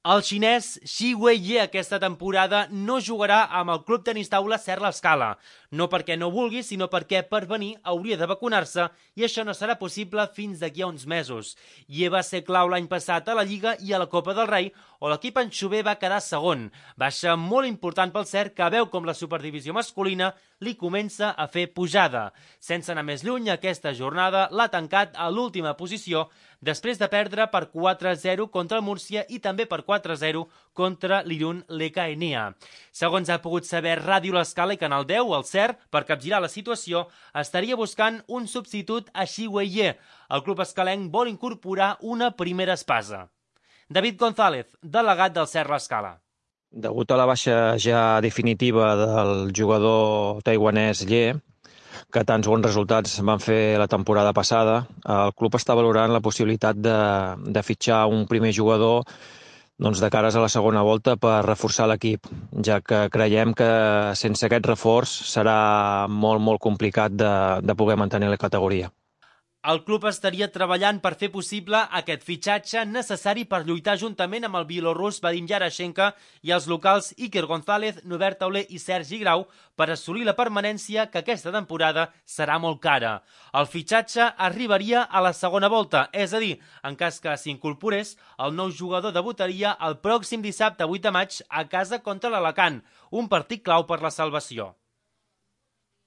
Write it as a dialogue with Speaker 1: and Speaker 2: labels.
Speaker 1: El xinès Xi Weiyue aquesta temporada no jugarà amb el club tenis taula Ser l'Escala. No perquè no vulgui, sinó perquè per venir hauria de vacunar-se i això no serà possible fins d'aquí a uns mesos. Ye va ser clau l'any passat a la Lliga i a la Copa del Rei, on l'equip anxover va quedar segon. Baixa molt important pel Ser, que veu com la superdivisió masculina li comença a fer pujada. Sense anar més lluny, aquesta jornada l'ha tancat a l'última posició després de perdre per 4-0 contra el Múrcia i també per 4-0 contra l'Irun Lekaenia. Segons ha pogut saber Ràdio L'Escala i Canal 10, el Ser, per capgirar la situació, estaria buscant un substitut a Xi Weiyue. El club escalenc vol incorporar una primera espasa. David González, delegat del Ser L'Escala.
Speaker 2: Degut a la baixa ja definitiva del jugador taiwanès Ye, que tants bons resultats van fer la temporada passada, el club està valorant la possibilitat de fitxar un primer jugador de cares a la segona volta per reforçar l'equip, ja que creiem que sense aquest reforç serà molt complicat de poder mantenir la categoria.
Speaker 1: El club estaria treballant per fer possible aquest fitxatge necessari per lluitar juntament amb el bielorrus Vadim Yarashenko i els locals Iker González, Norbert Tauler i Sergi Grau per assolir la permanència, que aquesta temporada serà molt cara. El fitxatge arribaria a la segona volta, és a dir, en cas que s'incorporés, el nou jugador debutaria el pròxim dissabte 8 de maig a casa contra l'Alacant, un partit clau per la salvació.